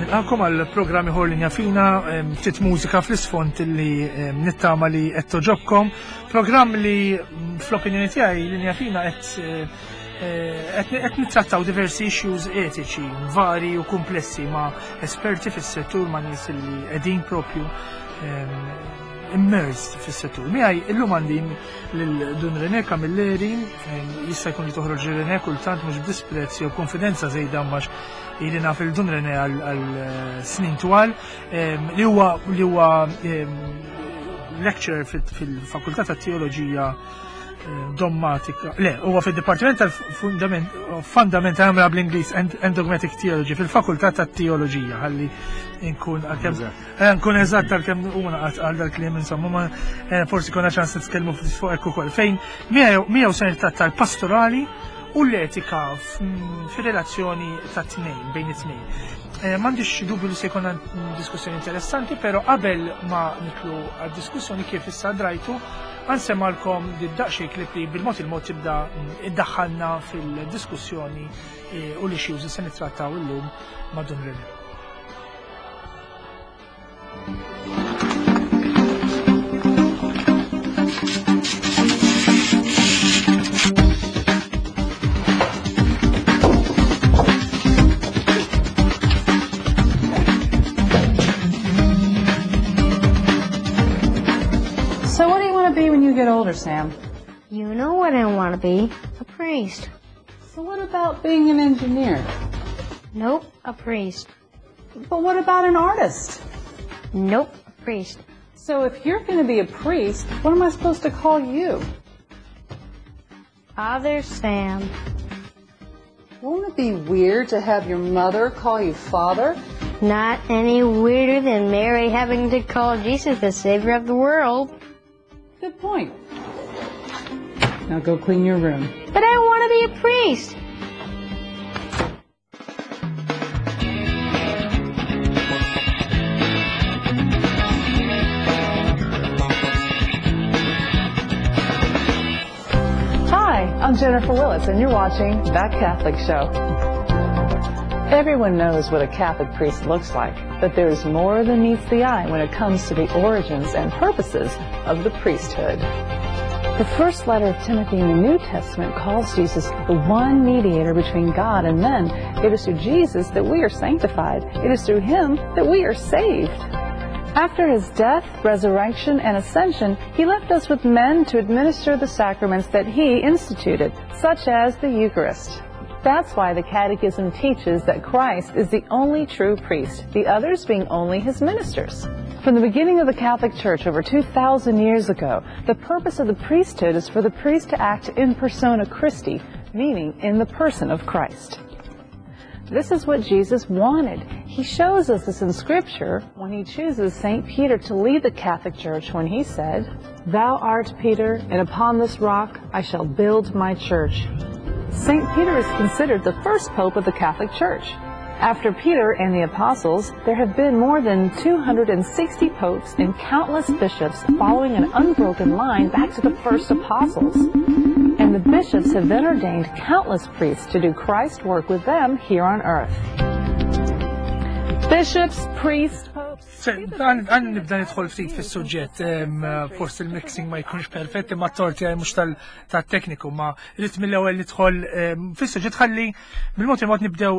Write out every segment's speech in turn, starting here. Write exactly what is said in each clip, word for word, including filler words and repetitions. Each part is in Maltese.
Nilqakom għal programm ieħor Linja Fina, ftit mużika fl-isfond li nittama li qed toġobkom. Programm li fl-opinjoni tiegħi Linja Fina qed eh, qed nittrattaw diversi issues etiċi, vari u komplessi ma' esperti fis-settur, ma' nies li qegħdin propju immersed fis-settur. Miegħi illum għandi lil Dun René Camilleri, jista' jkun li toħroġ René kultant mhux b'disprezz jew konfidenza żejda għax ili naf lil Dun René għal eh, snin twal, li huwa li huwa lecturer fil-Fakultà tat-Teoloġija eh, Dogmatika, le, huwa fil-Dipartiment tal-Fundamental għamla bl-Ingliż and Dogmatic Theology fil-Fakultà tat-Teoloġija, ħalli nkun għalkemm eh, nkun eżatt għalkemm huma għal dal-kliem insomma, ma forsi konna ċans nitkellmu fuq hekk ukoll. Fejn miegħu se nittratta l-pastorali u l-etika fir-relazzjoni ta' tnejn, bejn it-tnejn. Eh, m'għandix dubju li se jkollna diskussjoni interessanti, però qabel ma nidħlu għad-diskussjoni, kif issa drajtu, ħa nsemmagħlkom daqsxejn clip li bil-mod il-mod tibda iddaħħalna fil-diskussjoni eh, u l-issues li se nittrattaw illum ma' Dun René. So what do you want to be when you get older, Sam? You know what I want to be. A priest. So what about being an engineer? Nope, a priest. But what about an artist? Nope, a priest. So if you're going to be a priest, what am I supposed to call you? Father Sam. Won't it be weird to have your mother call you father? Not any weirder than Mary having to call Jesus the savior of the world. Good point. Now go clean your room. But I want to be a priest. Hi, I'm Jennifer Willis, and you're watching That Catholic Show. Everyone knows what a Catholic priest looks like, but there is more than meets the eye when it comes to the origins and purposes of the priesthood. The first letter of Timothy in the New Testament calls Jesus the one mediator between God and men. It is through Jesus that we are sanctified. It is through him that we are saved. After his death, resurrection, and ascension, he left us with men to administer the sacraments that he instituted, such as the Eucharist. That's why the Catechism teaches that Christ is the only true priest, the others being only his ministers. From the beginning of the Catholic Church over two thousand years ago, the purpose of the priesthood is for the priest to act in persona Christi, meaning in the person of Christ. This is what Jesus wanted. He shows us this in Scripture when he chooses Saint Peter to lead the Catholic Church when he said, "Thou art Peter, and upon this rock I shall build my church." Saint Peter is considered the first pope of the Catholic Church. After Peter and the apostles, there have been more than two hundred sixty popes and countless bishops following an unbroken line back to the first apostles. And the bishops have then ordained countless priests to do Christ's work with them here on earth. Bishops, priests, popes. Ħa nibda nidħol ftit fis-suġġett, forsi il-mixing ma jkunx perfett, imma t-torti għaj mhux tal-tekniku, ma rrid mill-ewwel nidħol fis-suġġett ħalli bil-mod il-mod nibdew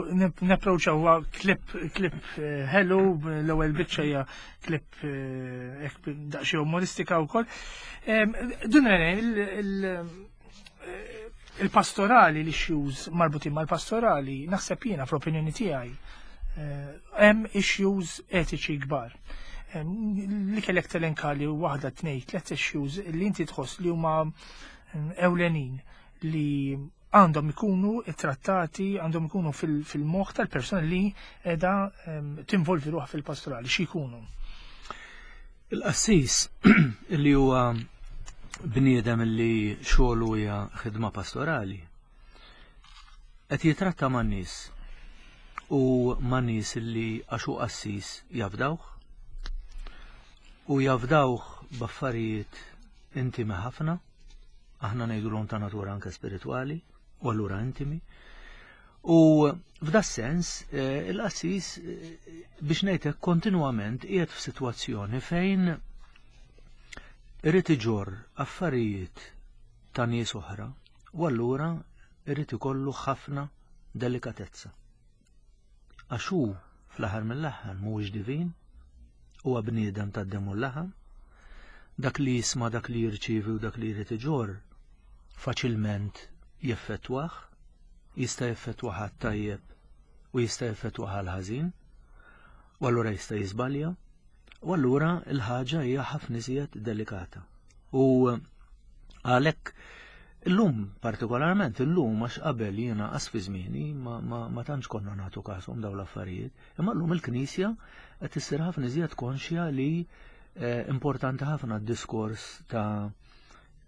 napproċċaw clip clip eh, hello, l-ewwel biċċa hija clip eh, daqsxejn umoristika wkoll. Dun il-pastorali, l-issues marbutin mal-pastorali, naħseb jiena fl-opinjoni tiegħi, eh, hemm issues etiċi kbar. Li kellek telenka li waħda, tnejn, tliet issues li inti tħoss li huma ewlenin li għandhom ikunu trattati, għandhom ikunu fil-moħħ tal-persona li qiegħda tinvolvi ruħha fil-pastorali, xi jkunu? Il-qassis li huwa bniedem li xogħlu hija ħidma pastorali qed jitratta man-nies u ma' nies li għax hu qassis jafdawh u jafdawh b'affarijiet intimi ħafna, aħna ngħidulhom ta' natura anke spiritwali u allura intimi. U f'da sens eh, il-qassis eh, biex ngħidlek kontinwament qiegħed f'sitwazzjoni fejn irid iġorr affarijiet ta' nies oħra u allura irid ikollu ħafna delikatezza. Għax hu fl-aħħar mill-aħħar mhuwiex divin, huwa bniedem tad-demm u l-laħam, dak li jisma' dak li jirċievi u dak li jrid iġorr faċilment jeffettwah, jista' jeffettwah għat-tajjeb u jista' jeffettwah għal-ħażin, u allura jista' jiżbalja, u allura l-ħaġa hija ħafna iżjed delikata. U għalhekk illum partikolarment illum għax qabel jiena qas fi żmieni ma, ma, ma tantx konna nagħtu kashom dawn l-affarijiet, imma llum il-Knisja qed issir ħafna iżjed konxja li eh, importanti ħafna d-diskors ta'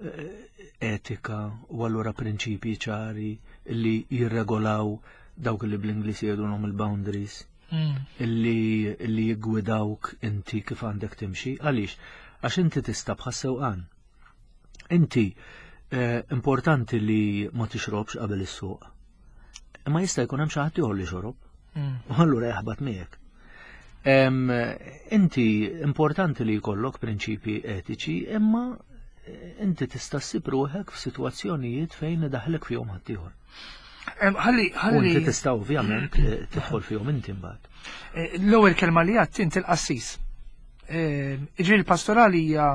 eh, etika u allura prinċipji ċari li jirregolaw dawk li bl-Ingliż jgħidulhom il-boundaries Mm. illi illi jiggwidawk inti kif għandek timxi. Għaliex? Għax inti tista' bħas-sewqan. Inti eh, importanti li ma tixrobx qabel is-suq. Imma jista' jkun hemm xi ħadd ieħor li xorob. Mm. U allura jaħbat miegħek. Em, inti importanti li jkollok prinċipji etiċi, imma eh, inti tista' ssib ruħek f'sitwazzjonijiet fejn idaħlek fihom ħaddieħor. Em, Ħalli, U ħalli, inti tista' ovvjament eh, tidħol fihom inti mbagħad. eh, l-ewwel kelma li għedt inti l-qassis. Eh, Iġri l-pastorali hija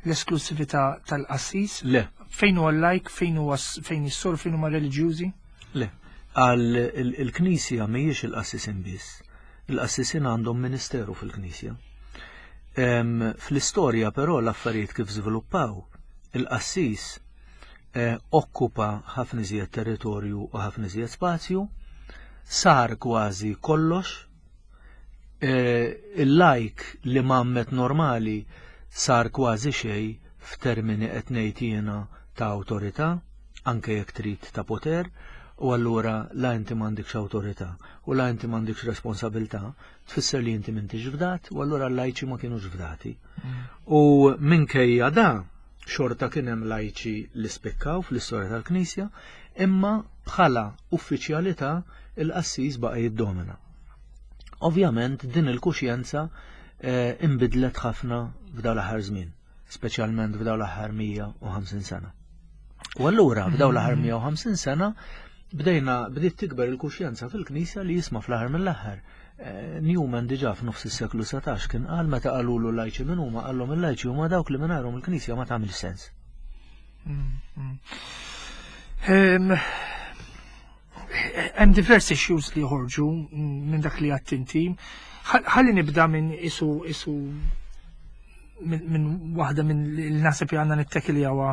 l-esklusività tal-qassis? Le, Fejn huwa l-lajk, fejn huwa s- fejn is-sor, fejn huma reliġjużi? le. Għal il- il-Knisja mhijiex il-qassisin biss. Il-qassisin għandhom ministeru fil-Knisja. Em, Fl-istorja però l-affarijiet kif żviluppaw, il-qassis eh, okkupa ħafna iżjed territorju u ħafna iżjed spazju, sar kważi kollox, eh, il-lajk li mammet normali sar kważi xej f'termini qed ngħid jiena ta' awtorità, anke jekk trid ta' poter, u allura la inti m'għandikx awtorità u la inti m'għandikx responsabilità, tfisser li inti m'intix fdat u allura l-lajċi ma kienux fdati. U minkejja da, xorta kien hemm lajċi li spikkaw fl-istorja tal-Knisja, imma bħala uffiċjalità il-qassis baqa' jiddomina. Ovvjament din il-kuxjenza eh, imbidlet ħafna f'dawn l-aħħar żmien, speċjalment f'dawn l-aħħar mija u ħamsin sena. U allura f'dawn l-aħħar mija u ħamsin sena bdejna bdiet tikber il-kuxjenza fil-Knisja li jisma' fl-aħħar mill-aħħar. Eh, Newman diġà f'nofs is-seklu satax kien qal meta qalulu lajċi min huma, qallhom il-lajċi huma dawk li mingħajrhom il-Knisja ma tagħmilx sens. Mm, Em, Hemm diversi issues li joħorġu minn dak li għedt inti. Ħalli nibda minn isu isu minn min waħda minn li naħseb li għandna nittekiljawa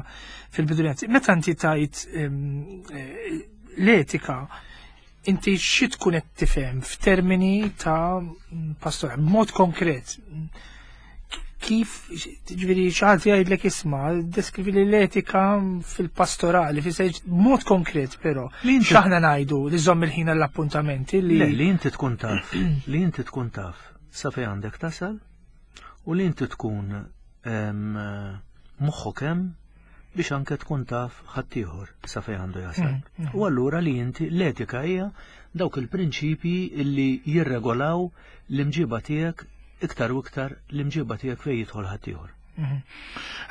fil-bidu. Meta inti tajt em, eh, l-etika, inti xi tkun qed tifhem f'termini ta' pastora, b'mod konkret? Kif, ġifieri, xi ħadd jgħidlek isma', deskrivi li l-etika fil-pastorali, fi mod konkret però. Li inti- X'aħna ngħidu li żomm il-ħin għall-appuntamenti li. Le, li inti tkun taf, li inti tkun taf sa fejn għandek tasal u li inti tkun em, moħħok hemm biex anke tkun taf ħaddieħor sa fejn għandu jasal. Mm, mm. U allura li inti l-etika hija dawk il-prinċipji li jirregolaw l-imġiba tiegħek, iktar u iktar l-imġiba tiegħek fejn jidħol ħaddieħor. Mhm.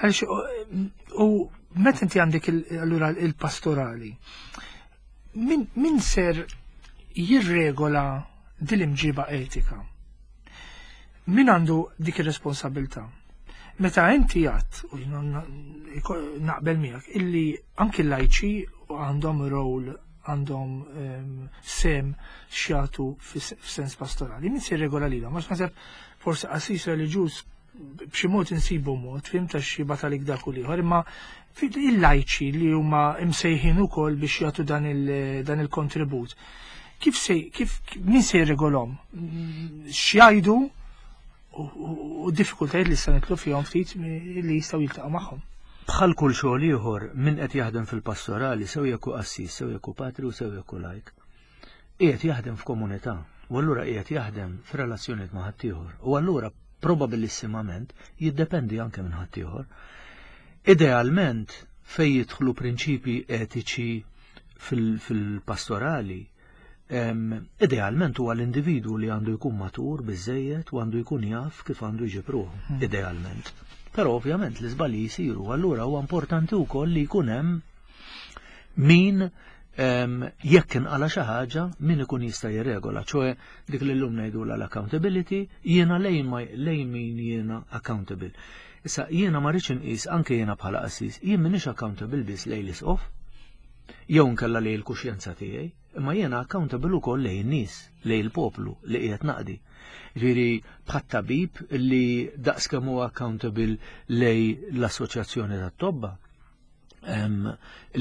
Għaliex, u- u meta inti għandek il- allura il-pastorali, min, min ser jirregola dil-imġiba etika? Min għandu dik ir-responsabilità? Meta inti għedt, u jina na- naqbel miegħek, illi anki l-lajċi għandhom rol, għandhom um, sem x'jagħtu f'sens pastorali. Min se jirregola lilhom? Għax naħseb forsi qassis reliġjuż b'xi mod insibu mod, fim ta' xi batalik dak u l-ieħor, imma il-lajċi li huma imsejħin ukoll biex jagħtu dan il- dan il-kontribut. Kif se, kif, min se jirregolhom? X'jgħidu u, u, u diffikultajiet li se nidħlu fihom ftit li jistgħu jiltaqgħu magħhom? Bħal kull xogħol ieħor, min qed jaħdem fil-pastorali, sew jekk hu qassis, sew jekk hu patri u sew jekk hu lajk, qiegħed jaħdem f'komunità u allura qiegħed jaħdem f'relazzjonijiet ma' ħaddieħor u allura probabilissimament jiddependi anke minn ħaddieħor. Idealment fejn jidħlu prinċipji etiċi fil-pastorali, Idealment huwa l-individwu li għandu jkun matur biżejjed u għandu jkun jaf kif għandu jġib ruħu, hmm. idealment. Però ovvjament l-iżbalji jsiru, allura huwa importanti wkoll li jkun hemm min jekk inqala xi ħaġa min ikun jista' jirregola, ċoe dik li llum ngħidulha l-accountability, jiena lejn lejn min jiena accountable. Issa jiena ma rridx inqis anke jiena bħala qassis, jien m'iniex accountable biss lejn l-isqof, jew nkella lejn il-kuxjenza tiegħi, imma jiena accountable ukoll lejn in-nies, lejn il-poplu li qiegħed naqdi. Ġifieri bħat-tabib li daqs kemm huwa accountable lejn l-assoċjazzjoni tat-tobba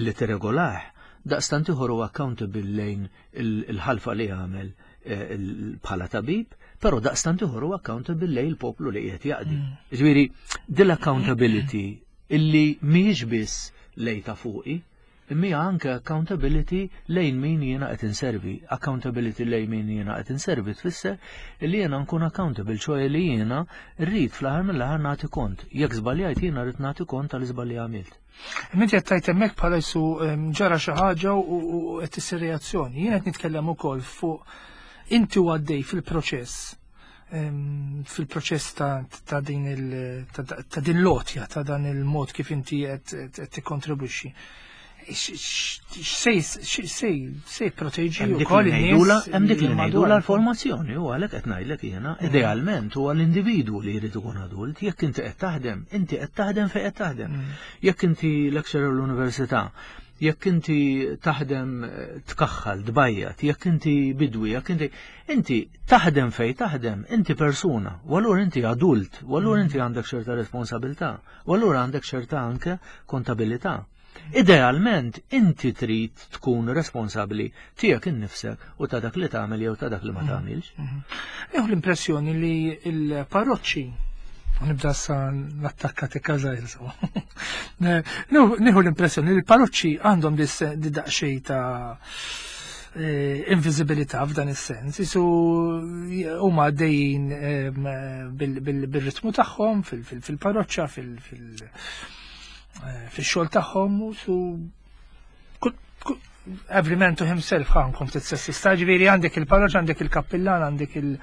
li tirregolah, daqstant ieħor huwa accountable lejn il-ħalfa li għamel eh, bħala tabib, però daqstant ieħor huwa accountable lejn il-poplu li qiegħed jaqdi. Mm. Ġifieri dil-accountability illi mhijiex biss lejn ta' fuqi, imma anke accountability lejn min jiena qed inservi. Accountability lejn min jiena qed inservi tfisser li jiena nkun accountable, ċoe li jiena rrid fl-aħħar mill-aħħar nagħti kont. Jekk żbaljajt jiena rrid nagħti kont tal-iżball li għamilt. Inti qed tgħid hemmhekk bħala jisu ġara xi ħaġa u qed issir reazzjoni. Jien qed nitkellem ukoll fuq inti u għaddej fil-proċess fil-proċess ta' din ta' din l-għotja, ta' dan il-mod kif inti qed tikkontribwixxi. Sej sej proteġi wkoll in-nies. Hemm dik li ngħidula l-formazzjoni u għalhekk qed ngħidlek jiena mm. idealment huwa l-individwu li jrid ikun adult, jekk inti qed taħdem, inti qed taħdem fejn qed taħdem. Mm. Jekk inti lecturer l-università, jekk inti taħdem eh, tkaħħal, tbajjat, jekk inti bidwi, jekk inti inti taħdem fej taħdem, inti persuna, u allura inti adult, u allura mm. inti għandek ċerta responsabilità, u allura għandek ċerta anke kontabilità. Idealment inti trid tkun responsabbli tiegħek innifsek u ta' dak li tagħmel jew ta' dak li ma mm. tagħmilx. Mm-hmm. Nieħu l-impressjoni li l-parroċċi nibda sa l-attakka tikka żgħir. Nieħu l-impressjoni li l-parroċċi għandhom di daqsxejn ta' eh, invisibilità f'dan is-sens. Isu huma għaddejjin bil-ritmu tagħhom fil-parroċċa, fil- eh, fil-xogħol tagħhom u su every man to himself, ħa nkun ftit sessista, ġifieri għandek il-parroċċa, għandek il-kappillan, għandek il-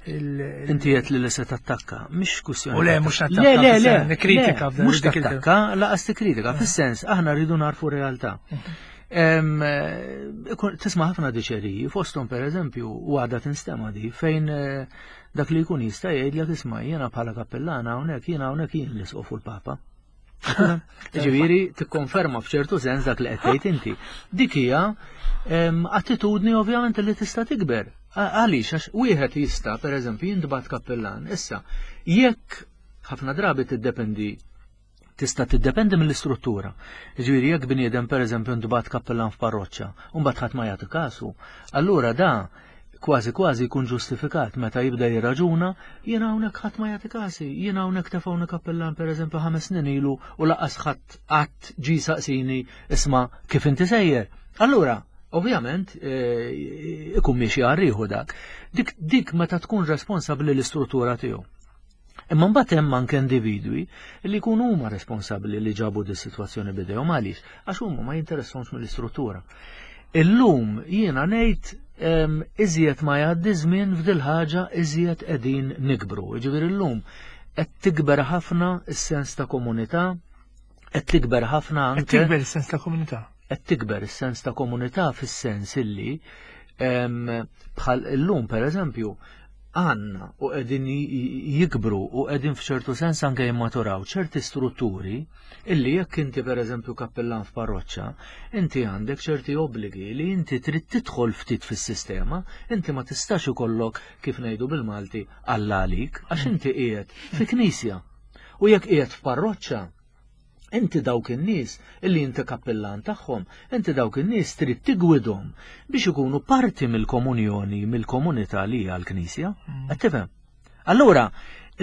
Inti qed li se tattakka, mhix kwistjoni. U le, mhux nattakka. Le, le, le, nikkritika. Mhux tattakka, laqas tikkritika, fis-sens aħna rridu narfu realtà. Tisma' ħafna diċeriji, fosthom pereżempju u għadha tinstema di fejn eh, dak li jkun jista' jgħidlek isma' jiena bħala kappellana hawnhekk jiena hawnhekk jien l-isqof u l-Papa. Ġifieri tikkonferma f'ċertu sens dak li qed tgħid inti. Dik hija attitudni ovvjament li tista' tikber. Għaliex għax wieħed jista' pereżempju jintbagħat kappellan. Issa, jekk ħafna drabi tiddependi tista' tiddependi mill-istruttura. Ġifieri jekk bniedem pereżempju ntbagħat kappellan f'parroċċa u mbagħad ħadd ma jagħti kasu, allura da kważi kważi jkun ġustifikat meta jibda jirraġuna, jiena hawnhekk ħadd ma jagħti kasi, jiena hawnhekk tefgħuni kappellan pereżempju ħames snin ilu u laqas ħadd qatt ġi saqsini isma' kif inti sejjer. Allura, ovvjament, eh, ikun miexi għarriħu dak. Dik, dik meta tkun responsabbli l-istruttura tiegħu. Imma mbagħad hemm anke individwi li jkunu huma responsabbli li ġabu di sitwazzjoni bidejhom għaliex għax huma ma jinteressahomx mill-istruttura. Illum jiena ngħid iżjed ma jgħaddi żmien f'dil ħaġa iżjed qegħdin nikbru. Jiġifieri llum qed tikber ħafna s-sens ta' komunità, qed tikber ħafna anke. Qed tikber is-sens ta' komunità. Qed tikber is-sens ta' komunità fis-sens illi bħal illum pereżempju għandna u qegħdin jikbru u qegħdin f'ċertu sens anke jimmaturaw ċerti strutturi illi jekk inti pereżempju kappellan f'parroċċa, inti għandek ċerti obbligi li inti trid tidħol ftit fis-sistema, inti ma tistax ikollok kif ngħidu bil-Malti Alla għalik għax inti qiegħed fi knisja. U jekk qiegħed f'parroċċa, inti dawk in-nies illi inti kappellan tagħhom, inti dawk in-nies trid tigwidhom biex ikunu parti mill-komunjoni, mill-komunità li hija l-Knisja. Mm. Qed tifhem? Allura,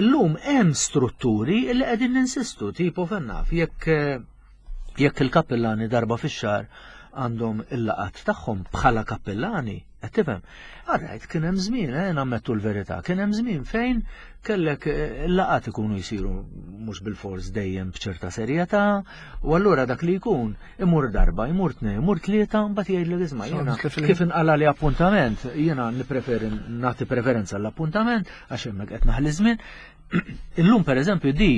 illum hemm strutturi li qegħdin ninsistu, tipo fennaf, jekk jekk il-kappellani darba fix-xahar għandhom il-laqat tagħhom bħala kappellani, Qed tifhem? Alright, kien hemm żmien, eh, nammettu l-verità, kien hemm żmien fejn kellek eh, laqat ikunu jsiru mhux bil-fors dejjem b'ċerta serjetà, u allura dak li jkun imur darba, imur tnejn, imur tlieta, mbagħad jgħidlek isma' jiena kif inqala li appuntament, jiena nippreferi nagħti preferenza l-appuntament għax hemmhekk qed naħli żmien. Illum pereżempju di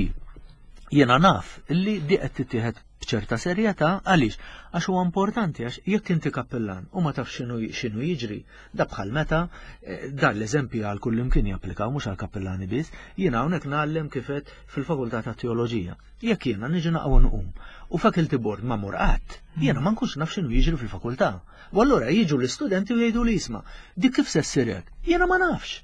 jiena naf illi di qed tittieħed b'ċerta serjetà għaliex għax huwa importanti għax jekk inti kappellan u ma tafx x'inhu x'inhu jiġri da bħal meta eh, dan l-eżempju għal kull imkien japplikaw mhux għal kappellani biss, jiena hawnhekk ngħallem kif qed fil-fakultà ta' teoloġija. Jekk jiena niġi naqwa nqum u faculty board ma mur qatt, jiena ma nkunx naf x'inhu jiġri fil-fakultà. U allura jiġu l-istudenti u jgħidu li isma' dik kif se ssir hekk? Jiena ma nafx.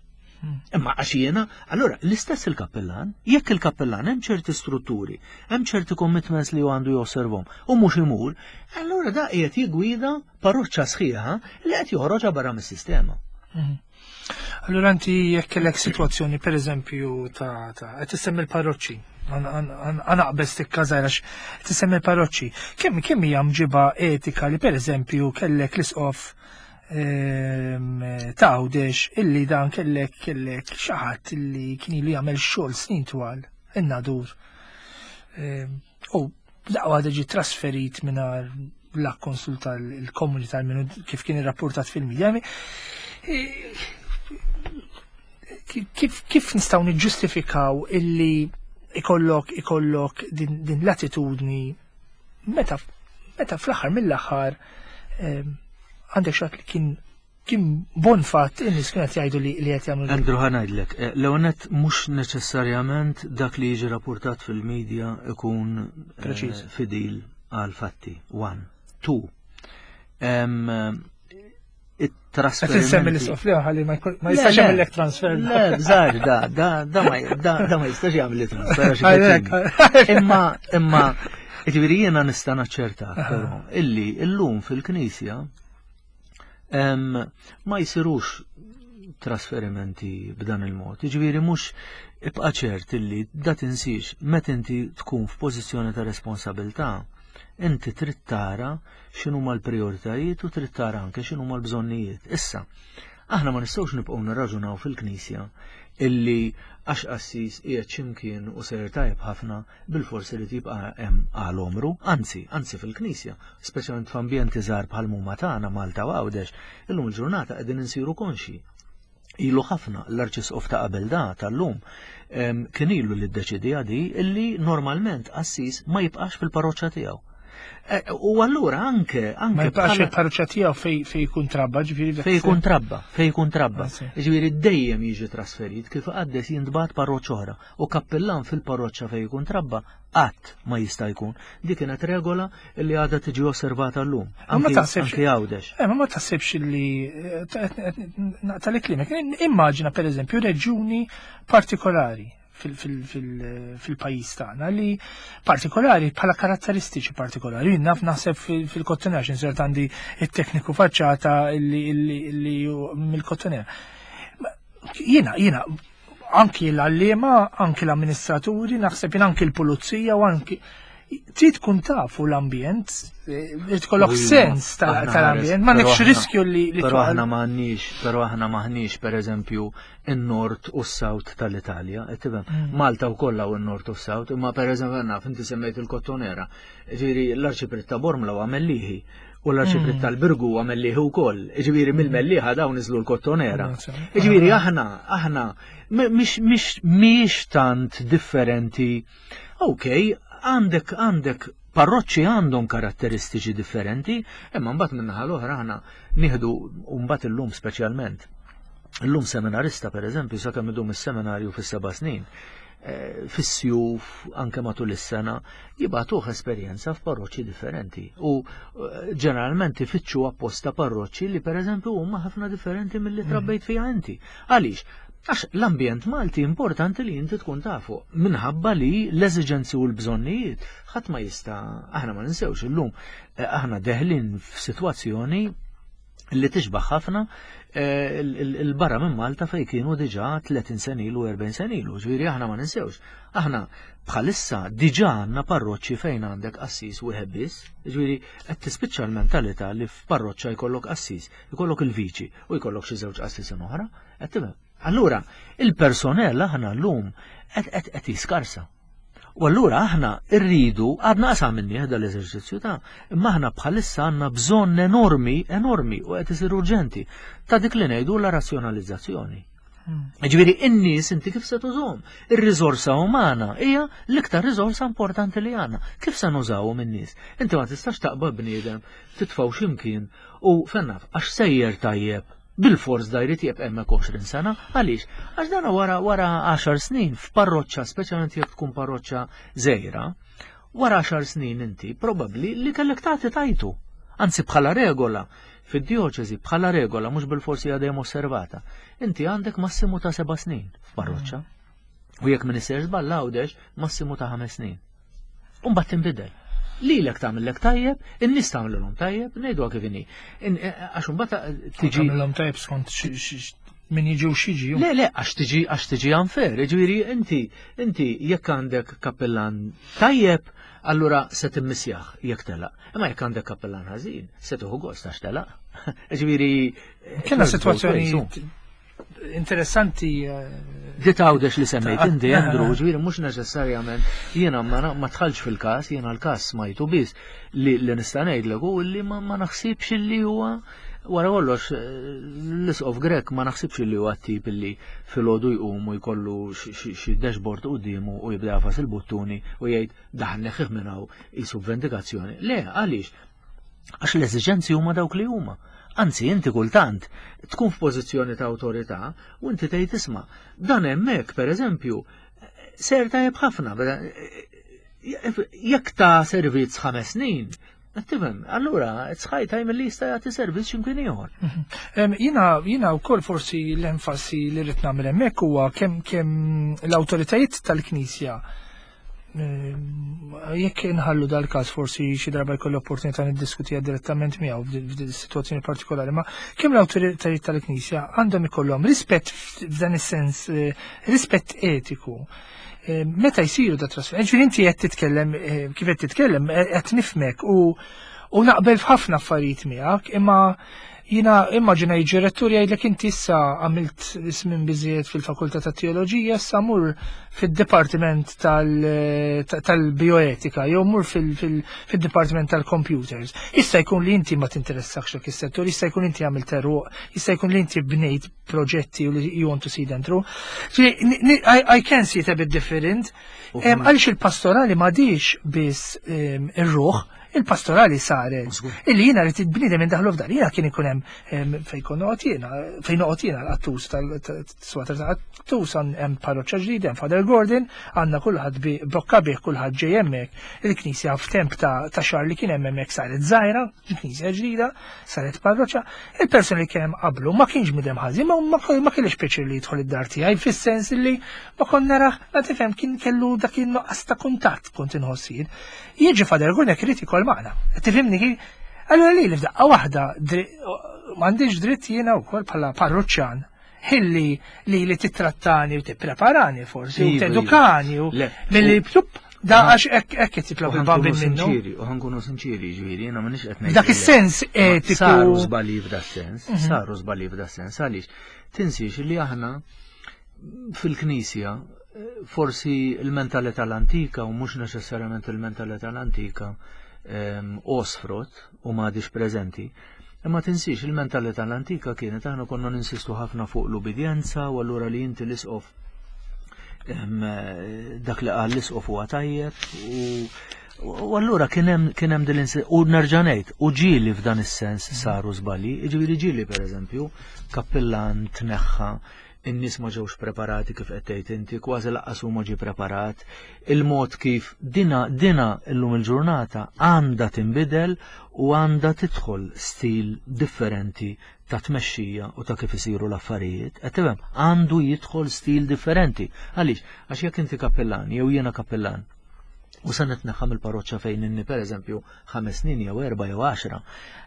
Imma għax jiena, allura l-istess il-kappellan, jekk il-kappellan hemm ċerti strutturi, hemm ċerti commitments li għandu josservhom u mhux imur, allura da qiegħed jigwida parroċċa sħiħa li qed joħroġha barra mis-sistema. Mhm. Allura inti jekk kellek sitwazzjoni per eżempju ta' ta' qed issemmi l-parroċċi, għanaqbes tikka żgħira qed issemmi l-parroċċi. Kemm kemm hija mġiba etika li per eżempju kellek l-isqof ehm, ta' Għawdex illi dan kellek kellek xi ħadd illi kien ilu jagħmel xogħol snin twal in-Nadur. Ehm, U daqwa ġi trasferit mingħajr la konsulta l-komunità minnu kif kien irrapportat fil-medja. Kif, kif nistgħu niġġustifikaw illi ikollok ikollok din, din l-attitudni meta meta fl-aħħar mill-aħħar ehm, għandek xi ħadd li kien kien bon fatt in-nies kienet jgħidu li li qed jagħmlu Andrew ħa ngħidlek, eh, l-ewwel mhux neċessarjament dak li jiġi rapportat fil-medja ikun eh, Preċiż. fidil għal fatti. One. Two. Em, Qed insemmi it-trasferimenti. l-isqof li ħalli ma jkun- ma Le, jistax le. jagħmellek transfer. Le, bżar, da, da, da, ma, da, da ma jistax jagħmel li transfer. għax Għalhekk. iketini. Imma, imma, ġifieri jiena nista' naċċerta, però, illi illum fil-Knisja em, ma jsirux trasferimenti b'dan il-mod. Ġifieri mhux ibqa' ċert illi da tinsiex meta inti tkun f'pożizzjoni ta' responsabilità, inti trid tara x'inhuma l-prijoritajiet u trid tara anke x'inhuma l-bżonnijiet. Issa, aħna ma nistgħux nibqgħu nirraġunaw fil-Knisja illi għax qassis qiegħed x'imkien u sejjer tajjeb ħafna bil-forsi li tibqa' hemm għal omru, anzi, anzi fil-Knisja, speċjalment f'ambjenti żgħar bħal huma tagħna Malta u Għawdex, illum il-ġurnata qegħdin insiru konxi. Ilu ħafna l-arċisqof ta' qabel da tal-lum em, kien ilu li ddeċidija di illi normalment qassis ma jibqax fil-parroċċa tiegħu. E, U allura anke Ma anke jibqax bħala- il-parroċċa tiegħu fej fej jkun trabba, ġifieri dak fej jkun trabba, fej jkun trabba. Anzi. Ġifieri dejjem jiġi trasferit kif qaddes jintbagħat parroċċa oħra u kappellan fil-parroċċa fej jkun trabba qatt ma jista' jkun. Dik kienet regola li għadha tiġi osservata llum. Ma Anki taħsibx- anki Għawdex. Eh, ma ma taħsibx li naqta li klimek. Immaġina per eżempju reġjuni partikolari fil-pajjiż tagħna li partikolari bħala karatteristiċi partikolari. Jien naf naħseb fil-Kottonera, x'insert għandi it-tekniku faċċata li li mill-Kottonera. Jiena, jiena, anki l-għalliema, anki l-amministraturi, naħseb jien anki l-pulizija u anki trid tkun tafu l-ambjent, eh, trid tkollok sens tal-ambjent, ma nekx riskju li li Però aħna m'għandniex, però aħna m'aħniex pereżempju in-nord u s-south tal-Italja, qed tifhem? Mm. Malta wkoll hawn in-nord u s-south, imma pereżempju naf inti semmejt il-Kottonera. Ġifieri l-Arċipriet ta' Bormla huwa Mellieħi u l-Arċipriet Mm. tal-Birgu huwa Mellieħi wkoll. Ġifieri mill-Mellieħa dawn niżlu l-Kottonera. Mm. Ġifieri aħna aħna mhix mhix mhix tant differenti. Ok, għandek għandek parroċċi għandhom karatteristiċi differenti, imma mbagħad min-naħa l-oħra aħna nieħdu u mbagħad illum speċjalment. Illum seminarista pereżempju sakemm idum is-seminarju fis-seba' snin, eh, fis-sjuf anke matul is-sena jibagħtuh esperjenza f'parroċċi differenti u eh, ġeneralment ifittxu apposta parroċċi li pereżempju huma ħafna differenti milli trabbejt fiha inti. Għaliex? Għax l-ambjent Malti importanti li inti tkun tafu, minħabba li l-eżiġenzi u l-bżonnijiet ħadd ma jista' aħna ma ninsewx illum eh, aħna deħlin f'sitwazzjoni li tixbaħ ħafna eh, il-barra minn Malta fej kienu diġà tletin sena ilu, erbgħin sena ilu, ġifieri aħna ma ninsewx. Aħna bħalissa diġà għandna parroċċi fejn għandek qassis wieħed biss, ġifieri qed tispiċċa l-mentalità li f'parroċċa jkollok qassis, jkollok il-viċi u jkollok xi żewġ qassisin oħra, qed tifhem. Allura, il-personell aħna llum qed qed jiskarsa. U allura aħna rridu, għadna qasam minni l-eżerċizzju ta' imma aħna bħalissa għandna bżonn enormi, enormi u qed isir urġenti ta' dik li ngħidu la razzjonalizzazzjoni. Hmm. Ġifieri in-nies inti kif se tużhom? Ir-riżorsa umana hija l-iktar riżorsa importanti li għandna. Kif se nużawhom in-nies? Inti ma tistax taqbad bniedem titfgħu x'imkien u fennaf għax sejjer tajjeb bil-fors da jrid jibqa' hemmhekk għoxrin sena, għaliex? Għax dan wara wara għaxar snin f'parroċċa, speċjalment jekk tkun parroċċa żgħira, wara għaxar snin inti probabbli li kellek tagħti tajtu. Anzi bħala regola, fid-dioċesi bħala regola mhux bil-forsi għadha osservata. Inti għandek massimu ta' seba' snin f'parroċċa. U jekk min isser żball Għawdex massimu ta' ħames snin. U mbagħad tinbidel. Lilek tagħmellek tajjeb, in-nies tagħmlilhom tajjeb, ngħidu kif inhi. Għax imbagħad tiġi tagħmilhom tajjeb skont min jiġi u xiġi. Le, le, għax tiġi għax tiġi unfair, ġifieri inti inti jekk għandek kappellan tajjeb, allura se timmisjaħ jekk telaq. Imma jekk għandek kappellan ħażin, se tieħu gost għax telaq. Ġifieri Kellna sitwazzjoni interessanti. Dit Għawdex li semmejt inti, Andrew, ġifieri mhux neċessarjament jiena ma tħallx fil-każ, jiena l-każ smajtu biss li li nista' ngħidlek hu li ma naħsibx li huwa wara kollox l-isqof Grech ma naħsibx li huwa tip li filgħodu jqum u jkollu xi dashboard quddiemu u jibda jafas il-buttuni u jgħid daħ neħħih minn hawn qisu vendikazzjoni. Le, għaliex? Għax l-eżiġenzi huma dawk li huma. Anzi, inti kultant tkun f'pożizzjoni ta' awtorità u inti tgħid isma' dan hemmhekk pereżempju ser tajjeb ħafna jekk ta' servizz ħames snin, tifhem, allura it's high time li jista' jagħti servizz x'imkien ieħor. Jiena jiena wkoll forsi l-enfasi li rrid nagħmel hemmhekk huwa kemm kemm l-awtoritajiet tal-Knisja jekk inħallu dal-każ forsi xi darba jkollu opportunità niddiskutija direttament miegħu f'din is-sitwazzjoni partikolari, ma kemm l-awtoritajiet tal-Knisja għandhom ikollhom rispett f'dan is-sens, rispett etiku. Meta jsiru da trasfer, ġifieri inti qed titkellem kif qed titkellem qed nifhmek u u naqbel f'ħafna affarijiet miegħek, imma jiena immaġina jiġi rettur jgħidlek inti issa għamilt ismin biżejjed fil-Fakultà ta' Teoloġija, issa mur fid-Dipartiment tal-Bioetika jew mur fil-Dipartiment tal-Computers. Issa jkun li inti ma tinteressakx dak is-settur, issa jkun inti għamilt eruq, issa jkun li inti bnejt proġetti u li you want to see them through. I can see it a bit different. Għaliex il-pastorali m'għadix biss ir-ruħ, il-pastorali saret. Illi jiena rrid il-bniedem indaħlu f'dan. Jiena kien ikun hemm fejn kont noqgħod jiena, fejn noqgħod jiena l-qattus tal-swater ta' qattus hemm parroċċa ġdida, hemm Father Gordon, għandna kulħadd bi bokka bih kulħadd ġej hemmhekk. Il-knisja f'temp ta' xahar li kien hemm hemmhekk saret żgħira, il-knisja ġdida, saret parroċċa. Il-persuni li kien hemm qablu ma kienx bniedem ħażin, ma ma kellix pjaċir li jidħol id-dar tiegħi fis-sens li ma kont narah, ma tifhem kien kellu dak in-nuqqas ta' kuntatt kont inħoss jien. Jiġi Father Gordon jekk irid ikoll magħna. Tifhimni kif? Allura li f'daqqa waħda m'għandix dritt jiena wkoll bħala parruċċan ħilli li li titrattani u tippreparani forsi u tedukani u milli plup da għax hekk hekk qed jitlob il-bambin minnu. U ħankunu sinċiri, ġifieri, jiena m'iniex qed ngħid. Dak is-sens etiku. Saru żbalji f'da sens, saru żbalji f'da sens, għaliex tinsiex li aħna fil-Knisja forsi il-mentalità l-antika u mhux neċessarjament il-mentalità l-antika osfrot u m'għadix preżenti. Imma tinsiex il-mentalità l-antika kienet aħna konna ninsistu ħafna fuq l-ubidjenza u allura li inti l-isqof dak li qal l-isqof huwa tajjeb u allura kien hemm kien hemm din u nerġa' ngħid u ġieli f'dan is-sens saru żbalji, jiġifieri ġieli pereżempju kappillan tneħħa in-nies ma ġewx preparati kif qed tgħid inti, kważi lanqas huma ġie preparat, il-mod kif dina dina illum il-ġurnata għandha tinbidel u għandha tidħol stil differenti ta' tmexxija u ta' kif isiru l-affarijiet. Qed tifhem, għandu jidħol stil differenti. Għaliex? Għax jekk inti kappellan jew jiena kappellan U se nitneħħa mill-parroċċa fejn inni pereżempju ħames snin jew erba' jew għaxra.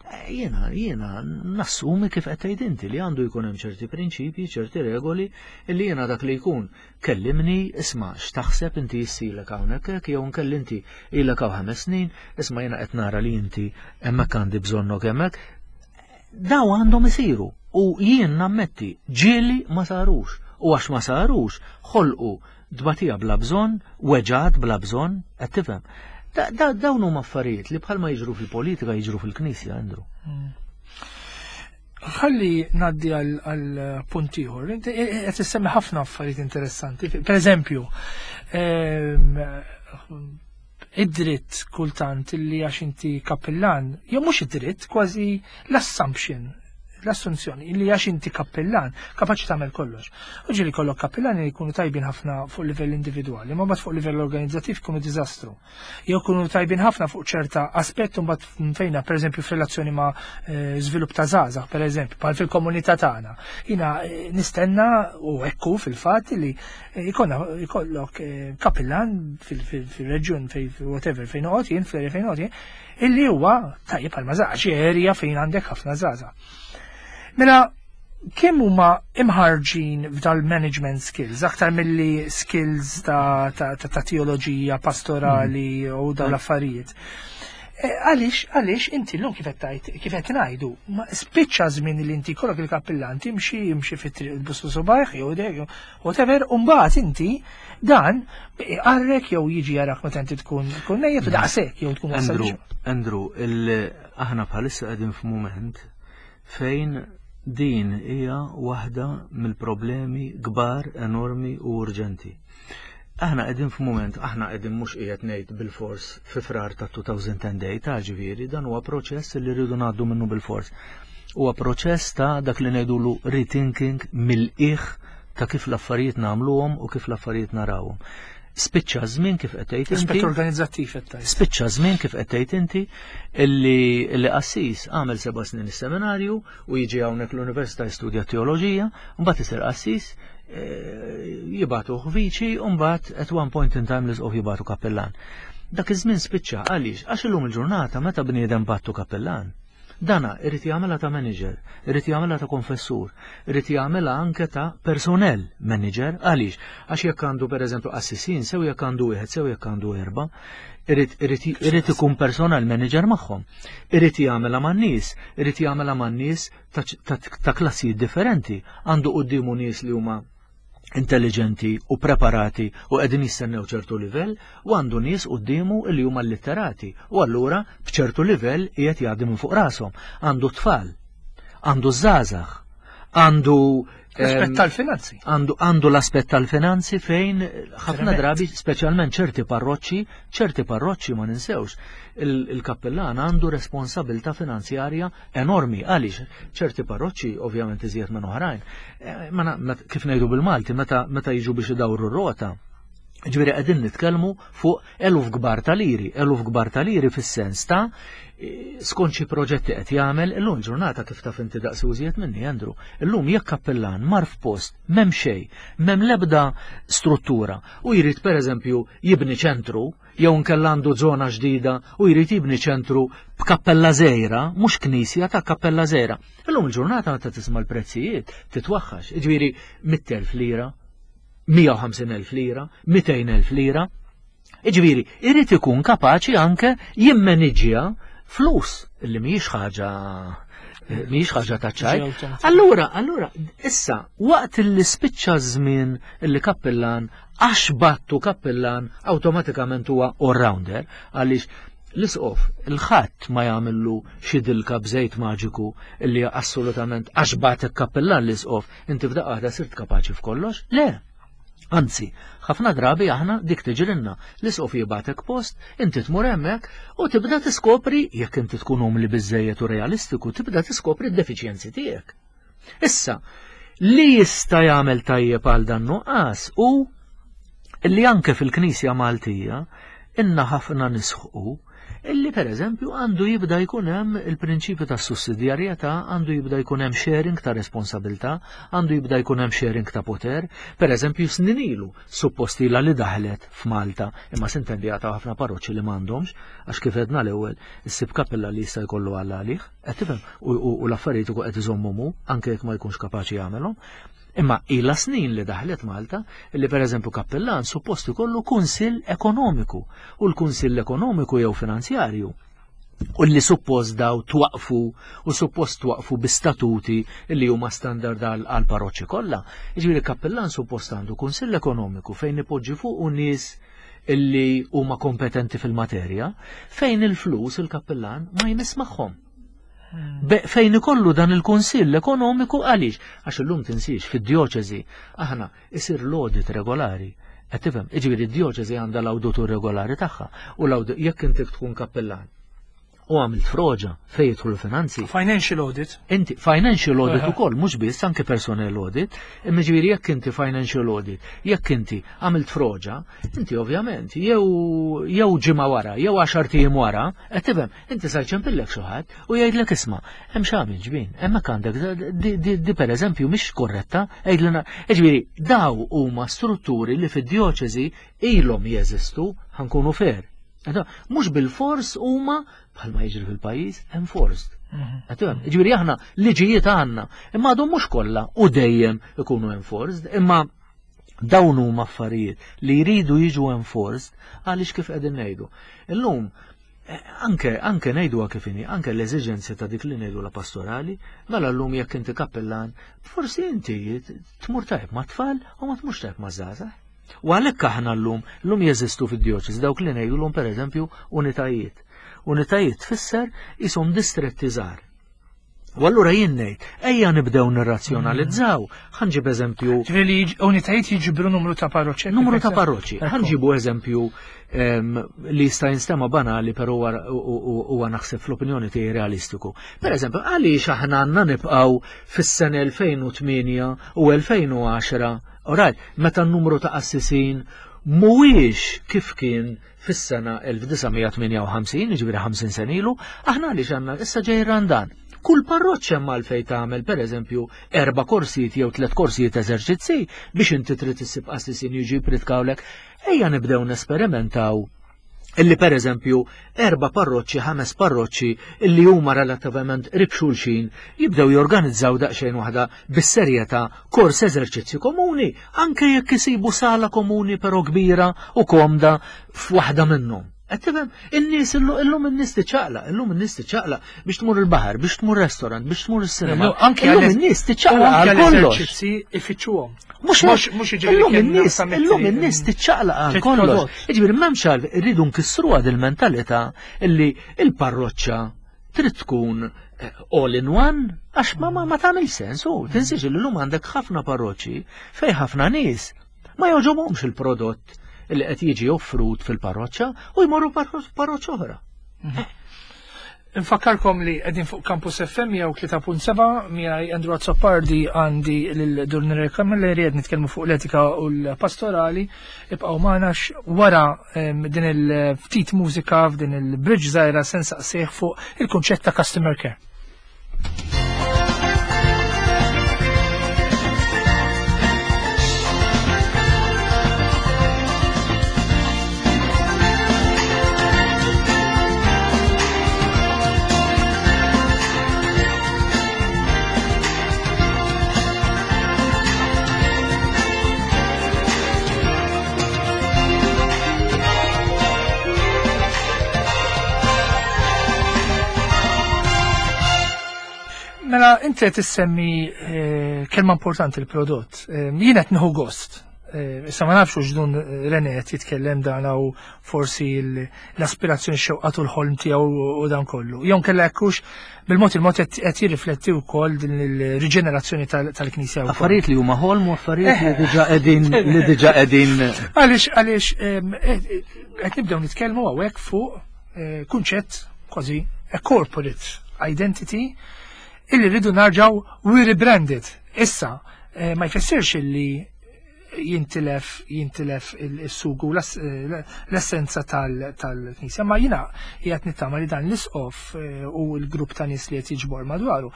Eh, Jiena jiena nassumi kif qed tgħid inti li għandu jkun hemm ċerti prinċipji, ċerti regoli illi jiena dak li jkun kellimni, isma' x'taħseb inti jissilek hawnhekk hekk jew nkelli inti ilek hawn ħames snin, isma' jiena qed nara li inti hemmhekk għandi bżonnok hemmhekk. Daw għandhom isiru u jien nammetti ġieli ma sarux u għax ma sarux ħolqu dbatija bla bżonn, weġgħat bla bżonn, qed tifhem. Da- da- Dawn huma affarijiet li bħalma jiġru fil-politika jiġru fil-Knisja, Andrew. Ħalli ngħaddi għal punt ieħor. Inti qed issemmi ħafna affarijiet interessanti. Per eżempju, ehm, id-dritt kultant li għax inti kappillan, jew mhux id-dritt, kważi l-assumption, l-assunzjoni li għax inti kappillan, kapaċi tagħmel kollox. U ġieli kollok kappillani li jkunu tajbin ħafna fuq livell individwali, ma mbagħad fuq livell organizzattiv jkunu diżastru. Jew jkunu tajbin ħafna fuq ċerta aspett u mbagħad fejna pereżempju f'relazzjoni ma' eh, żvilupp ta' żgħażagħ, pereżempju, bħal fil-komunità tagħna. Jiena eh, nistenna u ekku fil-fatt li eh, jkollna jkollok kappillan fil-reġjun fej whatever fejn noqgħod jien fl-area fejn noqgħod jien, illi huwa tajjeb għal mażax, area fejn għandek ħafna żgħażagħ. Mela, kemm huma imħarġin f'dal-management skills, aktar milli skills ta', ta, ta, ta teoloġija pastorali u dawn l-affarijiet. E, Għalix, għalix inti l-lum kif qed kif qed ngħidu, ma spiċċa żmien li inti kollok il-kappillan timxi jimxi fit-triq bussu subajh jew dek whatever, u mbagħad inti dan għarrek jew jiġi jarak meta inti tkun tkun mejjet u daqshekk jew tkun wasal Andrew, Andrew, il- aħna bħalissa qegħdin f'mument fejn din hija waħda mill-problemi kbar, enormi u urġenti. Aħna qegħdin f'mument, aħna qegħdin mhux qiegħed ngħid bil-fors fi Frar ta' elfejn u tmintax, ta' ġifieri, dan huwa proċess li rridu ngħaddu minnu bil-fors. Huwa proċess ta' dak li ngħidulu rethinking mill-qiegħ ta' kif l-affarijiet nagħmluhom u kif l-affarijiet narawhom. Spiċċa żmien kif qed tgħid inti. Aspett organizzattiv qed tgħid. Spiċċa żmien kif qed tgħid inti illi illi qassis għamel seba' snin is-seminarju u jiġi hawnhekk l-Università jistudja teoloġija, mbagħad isir qassis, eh, jibagħtu viċi u mbagħad at one point in time l-isqof jibagħtu kappellan. Dak iż-żmien spiċċa għaliex għax illum il-ġurnata meta bniedem bagħtu kappellan. Dana irid jagħmilha ta' manager, irid jagħmilha ta' konfessur, irid jagħmilha anke ta' personnel manager, għaliex għax jekk għandu pereżempju qassisin, sew jekk għandu wieħed, sew jekk għandu erba', irid irid irid ikun personal manager magħhom. Irid jagħmilha man-nies, irid jagħmilha man-nies ta', ta, ta' klassijiet differenti. Għandu quddiemu nies li huma intelligenti u preparati u qegħdin jistennew ċertu livell u għandu nies quddiemu li huma litterati u allura b'ċertu livell qiegħed jgħaddi minn fuq rashom. Għandu tfal, għandu żgħażagħ, għandu L-aspett em, tal-finanzi. għandu għandu l-aspett tal-finanzi fejn ħafna Tremend. drabi, speċjalment ċerti parroċċi, ċerti parroċċi ma ninsewx, il- il-kappellan għandu responsabilta finanzjarja enormi. Għaliex ċerti parroċċi ovvjament iżjed minn oħrajn. Eh, ma na- met- kif ngħidu bil-Malti, meta meta jiġu biex idawru r-rota, ġifieri qegħdin nitkellmu fuq eluf kbar ta' liri, eluf kbar ta' liri fis-sens ta' eh, skont xi proġetti qed jagħmel illum ġurnata kif taf inti daqs użiet minni Andrew. Illum jekk kappellan mar f'post m'hemm xejn, m'hemm l-ebda struttura u jrid pereżempju jibni ċentru jew nkella għandu żona ġdida u jrid jibni ċentru b'kappella żgħira, mhux knisja ta' kappella żgħira. Illum il-ġurnata meta tisma' l-prezzijiet titwaħħax, jiġifieri mitt elf lira, mija u ħamsin elf lira, mitejn elf lira. Iġifieri, irid ikun kapaċi anke jimmaniġġja flus li mhijiex ħaġa mhijiex ħaġa ta' ċajt. Ġi Allura, allura, issa, waqt li spiċċa żmien li kappellan għax bagħtu kappellan awtomatikament huwa all-rounder, għaliex l-isqof il-ħadd ma jagħmillu xi dilka b'żejt maġiku illi assolutament għax bagħtek kappellan l-isqof inti f'daqqa waħda sirt kapaċi f'kollox? Le. Anzi, ħafna drabi aħna dik tiġrinna, l-isqof jibgħatek post, inti tmur hemmhekk u tibda tiskopri, jekk inti tkun umli biżejjed u realistiku, tibda tiskopri d-defiċjenzi tiegħek. Issa, li jista' jagħmel tajjeb għal dan nuqqas u li anke fil-Knisja Maltija inna ħafna nisħqu Illi per eżempju għandu jibda jkun hemm il-prinċipju ta' sussidjarjetà, għandu jibda jkun hemm sharing ta' responsabilità, għandu jibda jkun hemm sharing ta' poter. Per eżempju snin ilu suppost ilha li daħlet f'Malta, imma sintendi għata ħafna parroċċi li m'għandhomx, għax kif għedna l-ewwel issib kappella li jista' jkollu għal għalih, qed tifhem, u l-affarijiet ukoll qed iżommhom hu, anke jekk ma jkunx kapaċi jagħmelhom. Imma ilha snin li daħlet Malta li per eżempju kappellan suppost ikollu kunsill ekonomiku, u l-kunsill ekonomiku jew finanzjarju u li suppost daw twaqfu u suppost twaqfu bi statuti li huma standard għal parroċċi kollha. Jiġifieri kappellan suppost għandu kunsill ekonomiku fejn ipoġġi fuq u nies illi huma kompetenti fil-materja, fejn il-flus il-kappellan ma jmiss magħhom. Fejn ikollu dan il-kunsill ekonomiku għaliex? Għax illum tinsiex fid-djoċeżi aħna isir l-audit regolari. Qed tifhem, jiġifieri d-djoċeżi għandha l-awditur regolari tagħha u l-audit jekk inti tkun kappellan u għamilt froġa fejn jidħlu l-finanzi. Financial audit. Inti financial audit ukoll, mhux biss anke personnel audit, imma ġifieri jekk inti financial audit, jekk inti għamilt froġa, inti ovvjament jew jew ġimgħa wara, jew għaxar ijiem wara, qed tifhem, inti sa jċempillek xi ħadd u jgħidlek isma' hemm x'għamil ġbin, hemmhekk għandek di, di, di pereżempju mhix korretta, għidlna, ġifieri daw huma strutturi li fid-djoċeżi ilhom jeżistu, ħankunu fair. Mhux bil-fors huma bħalma jiġri fil-pajjiż enforced. Ġifieri aħna liġijiet għandna, imma għadhom mhux kollha u dejjem ikunu enforced, imma dawn huma affarijiet li jridu jiġu enforced għaliex kif qegħdin ngħidu. Illum anke anke ngħiduha kif inhi, anke l-eżiġenzi ta' dik li ngħidu la pastorali, mela llum jekk inti kappellan, forsi inti tmur tajb ma' tfal u ma tmurx tajb ma' żgħażagħ. U għalhekk aħna llum, llum jeżistu fid-djoċesi dawk li ngħidulhom pereżempju unitajiet. Unitajiet tfisser ishom distretti żgħar. U allura jien ngħid, ejja nibdew nirrazzjonalizzaw. Ħa nġib eżempju. Ġifieri unitajiet jiġbru numru ta' parroċċi. Numru ta' parroċċi. Ħa nġibu eżempju li jista' jinstema' banali però huwa naħseb fl-opinjoni tiegħi realistiku. Per eżempju, għaliex aħna għandna nibqgħu fis-sena elfejn u tmienja u elfejn u għaxra, oraj, meta n-numru ta' qassisin mhuwiex kif kien fis-sena elf disa' mija tmienja u ħamsin, jiġifieri ħamsin sena ilu, aħna għaliex għandna issa ġej Randan. Kull parroċċa hemm għalfejn tagħmel pereżempju erba' korsijiet jew tliet korsijiet eżerċizzi biex inti trid issib qassisin jiġi jpritkawlek. Ejja nibdew nesperimentaw illi pereżempju erba' parroċċi, ħames parroċċi illi huma relattivament qrib xulxin jibdew jorganizzaw daqsxejn waħda bis-serjetà kors eżerċizzji komuni, anke jekk isibu sala komuni però kbira u komda f'waħda minnhom. Qed tifhem? In-nies illum in-nies tiċċaqlaq, illum in-nies tiċċaqlaq biex tmur il-baħar, biex tmur restaurant, biex tmur is-sinema. Anke Illum għal- in-nies tiċċaqlaq anke għal kollox. l-eżerċizzi ifittxuhom. Mhux Mhux- hekk. mhux jiġifieri Illum kien in-nies, naqsam illum it-triq. in-nies tiċċaqlaq għal Trid kollox. prodott. Jiġifieri m'hemmx għal irridu nkissruha dil-mentalità illi il-parroċċa trid tkun, eh, all in one, għax ma, ma, ma tagħmel sens, u tinsiex li llum għandek ħafna parroċċi fejn ħafna nies ma jogħġobhomx il-prodott li qed jiġi offrut fil-parroċċa u jmorru parro-, parroċċa oħra. Infakkarkom li qegħdin fuq Campus F M jew tlieta punt seba' miegħi Andrew Azzopardi għandi lil Dun René Camilleri qed nitkellmu fuq l-etika u l-pastorali. Ibqgħu magħna wara, em, din il-ftit mużika f'din il-bridge żgħira se nsaqsih fuq il-kunċett ta' customer care. Mela, inti qed issemmi, eh, kelma importanti l-prodott. Eh, jien qed nieħu gost. Eh, issa ma nafx hux dun René qed jitkellem dan u forsi l-, l-aspirazzjoni xewqatu l-ħolm tiegħu u dan kollu. Jew kellha hekk hux bil-mod il-mod qed, qed jirrifletti wkoll din il-riġenerazzjoni tal-, tal-Knisja wkoll. Affarijiet li huma ħolm u affarijiet li diġà qegħdin, li diġà qegħdin. Għaliex, għaliex, ehm, eh, qed nibdew nitkellmu hawnhekk fuq, eh, kunċett kważi a corporate identity illi rridu narġaw we rebranded. Issa, eh, ma jfissirx illi jintilef jintilef il-sugu l-essenza tal-Knisja. Ma jiena qiegħed nittama li dan l-isqof eh, u l-grupp ta' nies li qed jiġbor madwaru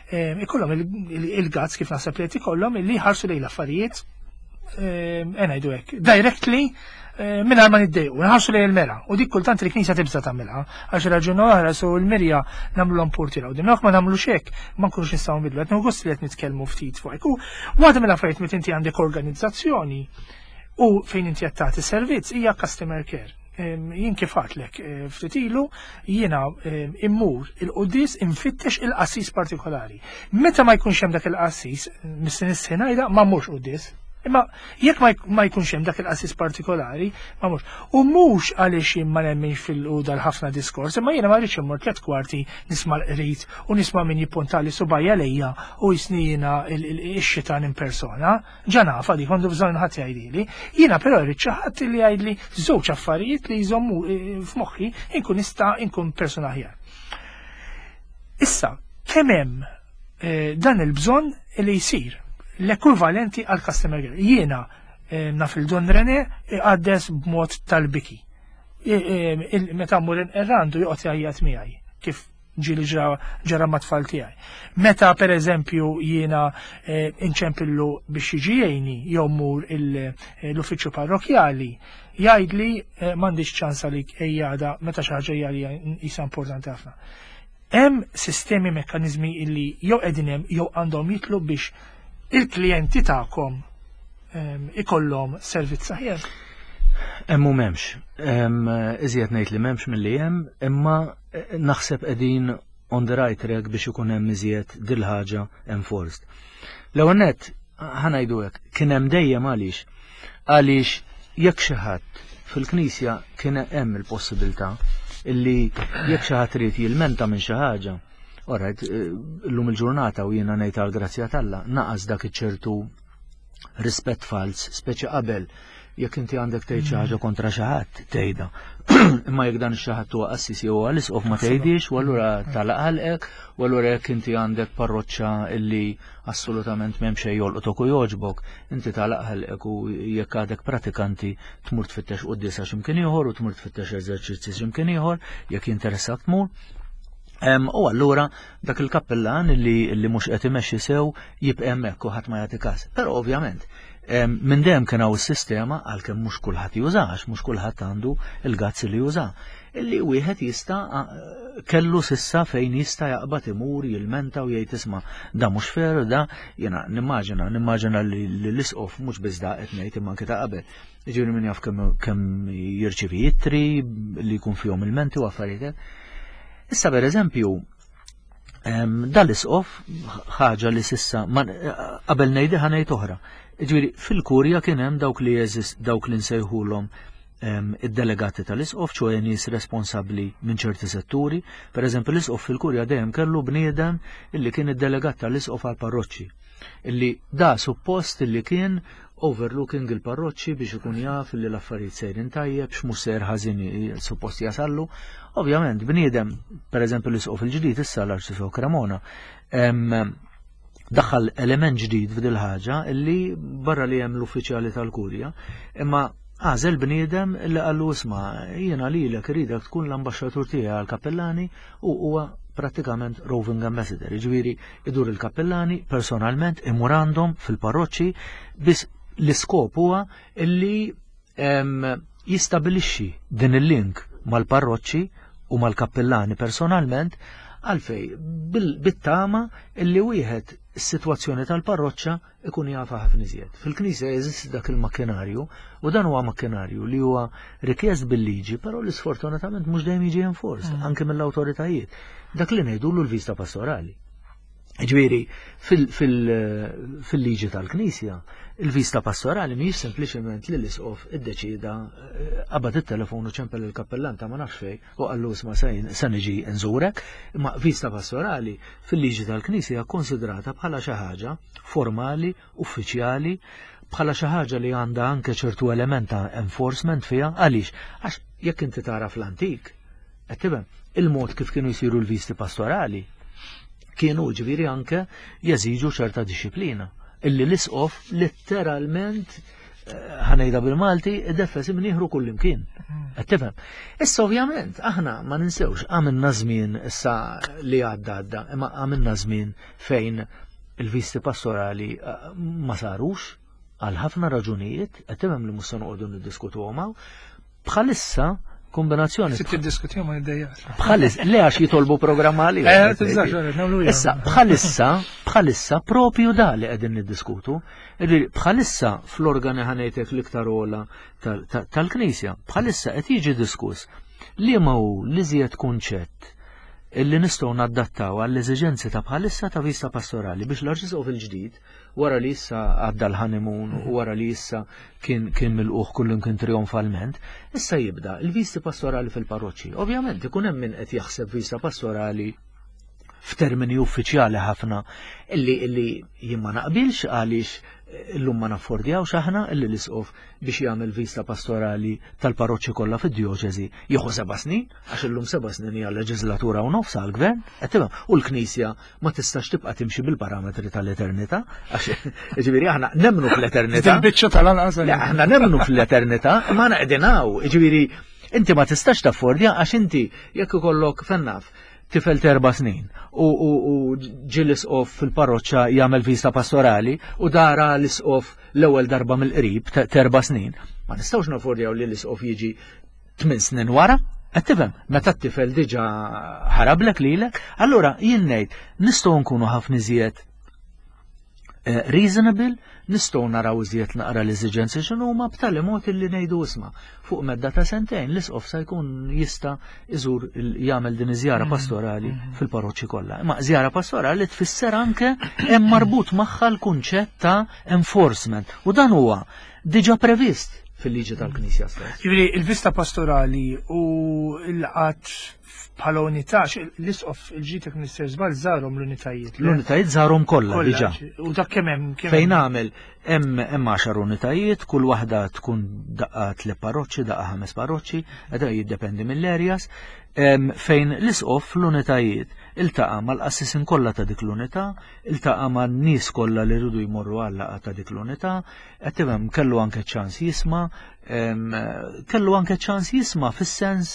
eh, ikollhom il-guts, kif naħseb li qed ikollhom, li jħarsu lejn l-affarijiet, eh, ngħidu hekk, directly, mingħajr ma niddejqu, nħarsu lejn il-mera. U dik kultant il-Knisja tibża' tagħmilha, għax raġuni oħra su l-mirja nagħmluhom portira. U din ma nagħmlux hekk, ma nkunux nistgħu nbidlu. Qed gost li qed nitkellmu ftit fuq hekk. U waħda mill-affarijiet meta inti għandek organizzazzjoni u fejn inti qed tagħti servizz hija customer care. Jien kif għedtlek eh, ftit ilu, jiena immur il-quddies infittex il-qassis partikolari. Meta ma jkunx hemm dak il-qassis, missin is-sena ma mmurx quddies. Imma jekk ma jkunx hemm dak il-qassis partikolari, ma mhux. U mhux għaliex jien ma nemminx fil-quda l-ħafna diskors, imma jiena ma rridx immur tliet kwarti nisma' l-qrid u nisma' min jippuntali subgħajja lejja u jisni jiena x-xitan in persona. Ġa nafa dik, għandu bżonn ħadd jgħidili. Jiena però rrid xi ħadd li jgħidli żewġ affarijiet li jżommu eh, f'moħħi, inkun nista' inkun persuna aħjar. Issa, kemm hemm eh, dan il-bżonn li jsir l-ekwivalenti għal customer care? Jiena eh, naf il-Don Rene għaddes b'mod tal-biki. Meta mmur irrandu joqgħod jgħajjat miegħi kif ġieli ġara mat-tfal tiegħi. Meta, per eżempju, jiena eh, inċempillu biex jiġi jgħinni jew mur l-uffiċċju parrokjali, jgħidli eh, m'għandix ċans għalik, ejja, meta xi ħaġa hija jisa importanti ħafna. Hemm sistemi, mekkaniżmi illi jew qegħdin hemm jew għandhom jitlu biex il-klijenti tagħkom ikollhom servizz aħjar? Hemm u m'hemmx. Iżjed ngħid li m'hemmx milli hemm, imma eh, naħseb qegħdin on the right track biex ikun hemm iżjed dil-ħaġa enforced. L-ewwel nett, ħa ngħidu hekk, kien hemm dejjem. Għaliex? Għaliex jekk xi ħadd fil-Knisja kien hemm il-possibilità illi jekk xi ħadd irid jilmenta minn xi ħaġa. Alright, eh, llum il-ġurnata, u jiena ngħid għal grazzja t'Alla, naqas dak iċ-ċertu rispett fals, speċi qabel jekk inti għandek tgħid xi ħaġa kontra xi ħadd tgħidha. Imma jekk dan ix-xi ħadd huwa qassis jew għal-isqof ma tgħidix, u allura tagħlaq ħalqek, u allura jekk inti għandek parroċċa illi assolutament m'hemm xejn jolqtok u jogħġbok, inti tagħlaq ħalqek u jekk għadek pratikanti tmur tfittex quddiesa x'imkien ieħor u tmur tfittex eżerċizzi x'imkien ieħor jekk jinteressak tmur. U allura dak il-kappellan li, li mhux qed imexxi sew jibqa' hemmhekk u ħadd ma jagħti każ. Però ovvjament minn dejjem kien hawn is-sistema, għalkemm mhux kulħadd jużax, mhux kulħadd għandu il-guts li juża. Illi wieħed jista' kellu s'issa fejn jista' jaqbad imur jilmenta u jgħid, "Isma', da mhux fair." Da jiena nimmaġina nimmaġina li l-isqof mhux biss da qed ngħid imma anke ta' qabel. Ġifieri min jaf kemm jirċievi ittri li jkun fihom ilmenti u affarijiet. Issa, per eżempju, dal-isqof, ħaġa li s'issa, qabel ngħidha ħa ngħid oħra. Ġifieri fil-kurja kien hemm dawk li jeżist dawk li nsejħulhom id-delegati tal-isqof, ċoè nies responsabbli minn ċerti setturi. Per eżempju, l-isqof fil-kurja dejjem kellu bniedem illi kien id-delegat tal-isqof għal parroċċi. Illi da suppost illi kien overlooking il-parroċċi biex ikun jaf li l-affarijiet sejrin tajjeb, x'mhux sejr ħażin suppost jasallu. Ovvjament, bniedem, per eżempju, l-isqof il-ġdid issa, l-Arċisqof Cremona, daħal element ġdid f'dil ħaġa illi barra li hemm l-uffiċjali tal-kurja, imma għażel bniedem li qallu, "Isma', jiena lilek iridek tkun l-ambaxxatur tiegħi għal-kappellani", u huwa pratikament roving ambassador, ġifieri idur il-kappellani personalment, imur għandhom fil-parroċċi, biss l-iskop huwa illi jistabilixxi din il-link mal-parroċċi u mal-kappellani personalment. Għalfej? Bit-tama illi wieħed is-sitwazzjoni tal-parroċċa ikun jafa ħafna iżjed. Fil-Knisja jeżisti dak il-makkinarju u dan huwa makkinarju li huwa rikjest bil-liġi, però li sfortunatament mhux dejjem jiġi enforced mm. anke mill-awtoritajiet. Dak li ngħidulu l-vista pastorali. Ġifieri, fil-liġi tal-Knisja, il-vista pastorali mhijiex sempliċement li l-isqof iddeċida, eh, qabad it-telefon u ċempel il-kappellan ta' ma nafx fejn u qallu, "Isma', se niġi nżurek", imma vista pastorali fil-liġi tal-Knisja konsidrata bħala xi ħaġa formali, uffiċjali, bħala xi ħaġa li għandha anke ċertu element ta' enforcement fiha. Għaliex? Għax jekk inti tara fl-antik, qed tifhem, il-mod kif kienu jsiru l-visti pastorali kienu, ġifieri, anke jeżiġu ċerta disciplina illi l-isqof letteralment ħa ngħidha bil-Malti, id-defes imnieħru kullimkien. Qed tifhem? Issa ovvjament aħna ma ninsewx għamilna żmien issa li għadda għadda, imma għamilna żmien fejn il-visti pastorali eh, ma sarux għal ħafna raġunijiet, qed tifhem li mhux se noqogħdu niddiskutuhom hawn. Bħalissa kombinazzjoni Se tiddiskutihom ma niddejjaqx. Bħalissa, le għax jitolbu programm għalija. Eh, tibżax, nagħmlu hija. Issa, bħalissa, bħalissa propju da li qegħdin niddiskutu. Ġifieri, bħalissa fl-organi ħa ngħidlek l-iktar ogħla tal- tal- tal-Knisja, bħalissa qed jiġi diskuss li ma hu l-iżjed kunċett illi nistgħu nadattaw għall-eżiġenzi ta' bħalissa ta' vista pastorali biex l-Arċisqof il-ġdid wara li issa għadda l-honeymoon u wara li issa kien kien milqugħ kullum kien trionfalment, issa jibda il-visti pastorali fil-parroċċi. Ovvjament ikun hemm min qed jaħseb vista pastorali f'termini uffiċjali ħafna illi illi jien ma naqbilx għaliex illum ma naffordjawx aħna illi l-isqof biex jagħmel vista pastorali tal-parroċċi kollha fid-djoċesi jieħu seba' snin, għax illum seba' snin hija leġislatura u nofs għall-gvern, qed tifhem, u l-Knisja ma tistax tibqa' timxi bil-parametri tal-eternità, għax ġifieri aħna nemmnu fl-eternità. Dil-biċċa tal-anqas. Le, aħna nemmnu fl-eternità, ma aħna qegħdin hawn, ġifieri inti ma tistax taffordja għax inti jekk ikollok fejn naf tifel t'erba' snin u, u, u ġi l-isqof fil-parroċċa jagħmel vista pastorali u dara l-isqof l-ewwel darba mill-qrib ta' t'erba' snin. Ma nistgħux naffordjaw li l-isqof jiġi tmien snin wara. Qed tifhem, meta t-tifel diġà ħarablek lilek, allura jien ngħid nistgħu nkunu ħafna iżjed eh, reasonable, nistgħu naraw iżjed naqra l-eżiġenzi x'inhuma b'tali mod illi ngħidu isma' fuq medda ta' sentejn l-isqof sa jkun jista' iżur il- jagħmel din iż-żjara pastorali fil-parroċċi kollha. Imma żjara pastorali tfisser anke hemm marbut magħha l-kunċett ta' enforcement u dan huwa diġà previst fil-liġi tal-Knisja stess. Ġifieri il-vista pastorali u l-qatt bħala unità, l-isqof il-ġitek Mister Żball żarhom l-unitajiet. le? L-unitajiet żarhom kollha Kollha, diġà. U dak kemm hemm kemm Fejn hemm? għamel hemm hemm għaxar unitajiet, kull waħda tkun daqqa tliet parroċċi, daqqa ħames parroċċi, qed jiddependi mill-areas, em, fejn l-isqof l-unitajiet iltaqa' mal-qassisin kollha ta' dik l-unità, iltaqa' man-nies kollha li rridu jmorru għal laqgħa ta' dik l-unità, qed tifhem kellu anke ċans jisma', em, kellu anke ċans jisma' fis-sens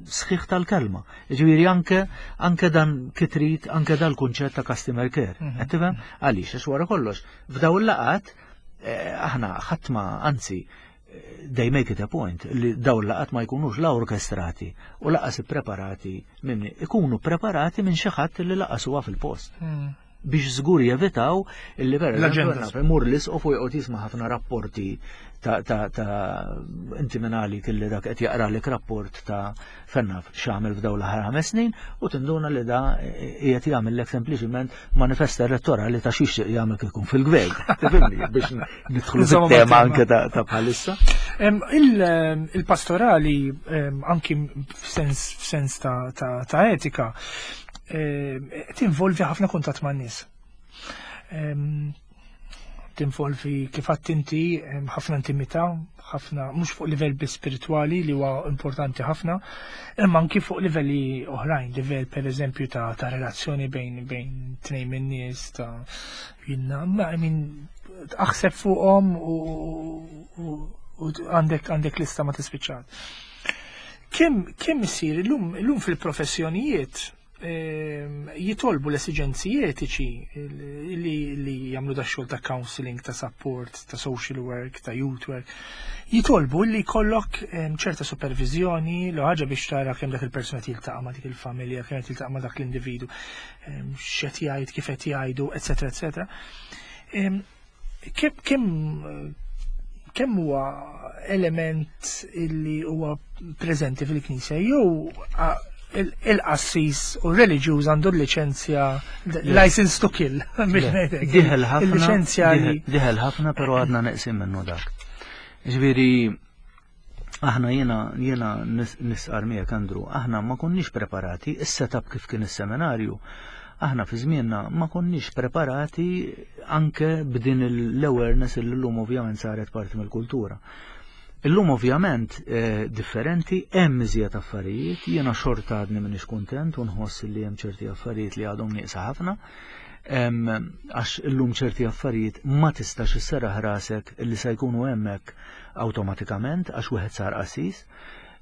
sħiħ tal-kelma. Ġifieri anke anke dan kitrit, anke dal-kunċett ta' customer care. Qed tifhem? Għaliex għax wara kollox, f'daw il-laqgħat eh, aħna ħadd ma anzi eh, they make it a point li daw il-laqgħat ma jkunux la orkestrati u lanqas ippreparati minn ikunu preparati minn xi ħadd li lanqas huwa fil-post Hmm. biex żgur jevitaw illi per eżempju L-agendas. naf, imur l-isqof u joqgħod jisma' ħafna rapporti ta' ta' ta' inti minn għalik illi dak qed jaqralek rapport ta' fejn naf x'għamel f'dawn l-aħħar ħames snin u tinduna li da qiegħed jagħmellek sempliċiment manifest elettorali ta' xiex jagħmel kif ikun fil-gvern. Tifhimni biex nidħlu Insomma, fit-tema ma' anke ta' ta' bħalissa. Em, il- em, Il-pastorali em, anki f'sens f'sens ta' ta' ta' etika em, tinvolvi ħafna kuntatt man-nies. Em, Tinvolvi kif għedt inti em, ħafna intimità, ħafna mhux fuq livell biss spiritwali li huwa importanti ħafna, imma anki fuq livelli oħrajn, livell per eżempju ta' ta' relazzjoni bejn bejn tnejn min-nies ta' jinna, ma I mean, aħseb fuqhom u, u, u għandek għandek lista ma tispiċċat. Kemm kemm isir illum illum fil-professjonijiet ehm, jitolbu l-esiġenzi etiċi li, li jagħmlu da xogħol ta' counseling, ta' support, ta' social work, ta' youth work, jitolbu li jkollok ehm, ċerta supervizjoni l ħaġa biex tara kemm dak il-persuna tiltaqa' ma' dik il-familja, kemm qed tiltaqa' ma' dak l-individu, ehm, x'qed jgħid, kif qed jgħidu, eċetera, eċetera. Ehm, Kemm kemm kemm huwa element illi huwa preżenti fil-Knisja jew a- il- il-qassis u reliġjuż għandu l-liċenzja license to kill biex ngħidlek. Diħel ħafna. Il-liċenzja li diħel- Diħel ħafna, pero għadna neqsin minnu dak. Ġifieri, aħna jena, jena nis- nistqarr miegħek Andrew, aħna ma konniex preparati, is-setup kif kien is-seminarju, aħna fi żmienna ma konniex preparati anke b'din l-awareness li llum ovvjament saret parti mill-kultura. Illum ovvjament eh, differenti, hemm iżjed affarijiet, jiena xorta għadni m'iniex kuntent u nħoss li hemm ċerti affarijiet li għadhom nieqsa ħafna. Għax illum ċerti affarijiet ma tistax isserraħ rasek illi se jkunu hemmhekk awtomatikament għax wieħed sar qassis.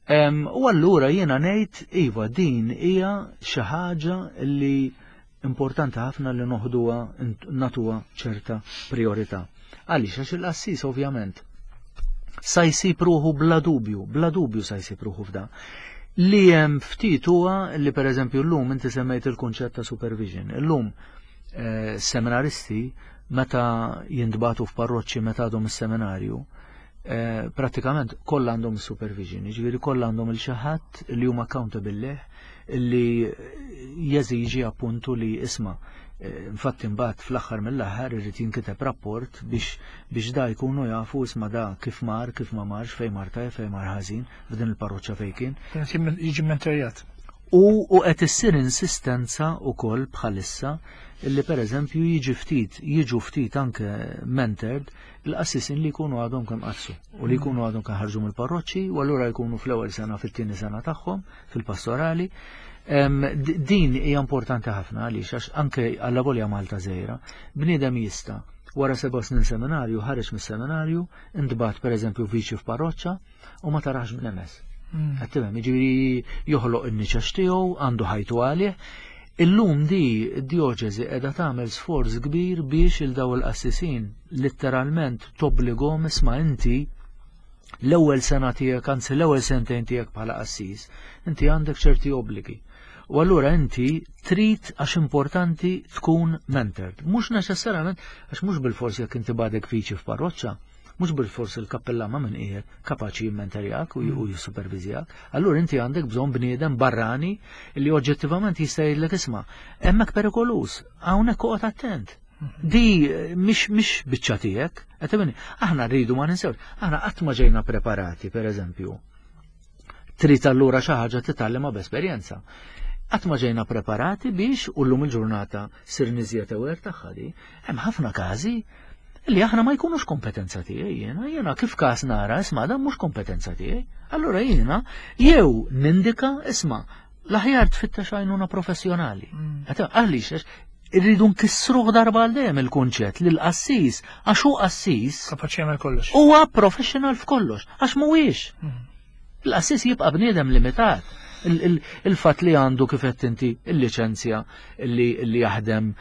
U allura jiena ngħid iva, din hija xi ħaġa li importanti ħafna li noħduha, nagħtuha ċerta priorità. Għaliex? Għax il-qassis ovvjament sa jsib ruħu bla dubju, bla dubju sa jsib ruħu f'da. Li hemm ftit huwa li, pereżempju, llum inti semmejt il-kunċett ta' supervision. Illum eh, seminaristi meta jintbagħtu f'parroċċi meta għadhom is-seminarju, eh, pratikament kollha għandhom supervision, jiġifieri kollha għandhom il xi ħadd li huma accountable leh, li jeżiġi appuntu li isma', eh, infatti mbagħad fl-aħħar mill-aħħar irid jinkiteb rapport biex biex da jkunu jafu, isma', da kif mar, kif ma marx, fejn mar tajjeb, fejn mar ħażin, f'din il-parroċċa fejn kien. Jiġi mentorjat. U u qed issir insistenza wkoll bħalissa illi pereżempju jiġi ftit, jiġu ftit anke mentored il-qassisin li jkunu għadhom kemm qassu u li jkunu għadhom kemm ħarġu mill-parroċċi u allura jkunu fl-ewwel sena, fit-tieni sena tagħhom fil-pastorali. Din hija importanti ħafna għaliex għax anke għalla Malta żgħira, bniedem jista' wara seba' snin seminarju ħareġ mis-seminarju, intbagħat pereżempju viċi f'parroċċa u ma tarax minn hemm. Mm. Qed tifhem, jiġifieri joħloq in-niċex tiegħu, għandu ħajtu għalih. Illum di d-djoċesi qiegħda tagħmel sforz kbir biex il daw il-qassisin letteralment tobbligahom, isma', inti l-ewwel sena tiegħek, anzi l-ewwel sentejn tiegħek bħala qassis, inti għandek ċerti obbligi. U allura inti trid, għax importanti tkun mentored. Mhux neċessarjament, għax mhux bil-forsi jekk inti għadek viċi f'parroċċa, mhux bil-forsi il-kappellan ma' min qiegħed kapaċi jimmentorjak u mm. jissupervizjak. Allura inti għandek bżonn bniedem barrani li oġġettivament jista' jgħidlek, isma', hemmhekk perikoluż, hawnhekk oqgħod attent. Mm-hmm. Di mhix mhix biċċa tiegħek, qed aħna rridu ma ninsewx, aħna qatt ma ġejna preparati, pereżempju. Trid allura xi ħaġa titgħallimha b'esperjenza. Qatt ma ġejna preparati biex, u llum il-ġurnata sir niżjed aware tagħha di, hemm ħafna każi li aħna ma jkunux kompetenza tiegħi jiena, jiena kif każ nara, isma', dan mhux kompetenza tiegħi. Allura jiena jew nindika, isma', l-aħjar tfittex għajnuna professjonali. Mm. Għaliex irridu nkissruh darba għal dejjem il-kunċett li l-qassis, għax hu qassis, kapaċi jagħmel kollox. Huwa professional f'kollox, għax mhuwiex. Mm. Il-qassis jibqa' bniedem limitat. Il-fatt li għandu, kif qed inti, il-liċenzja li jaħdem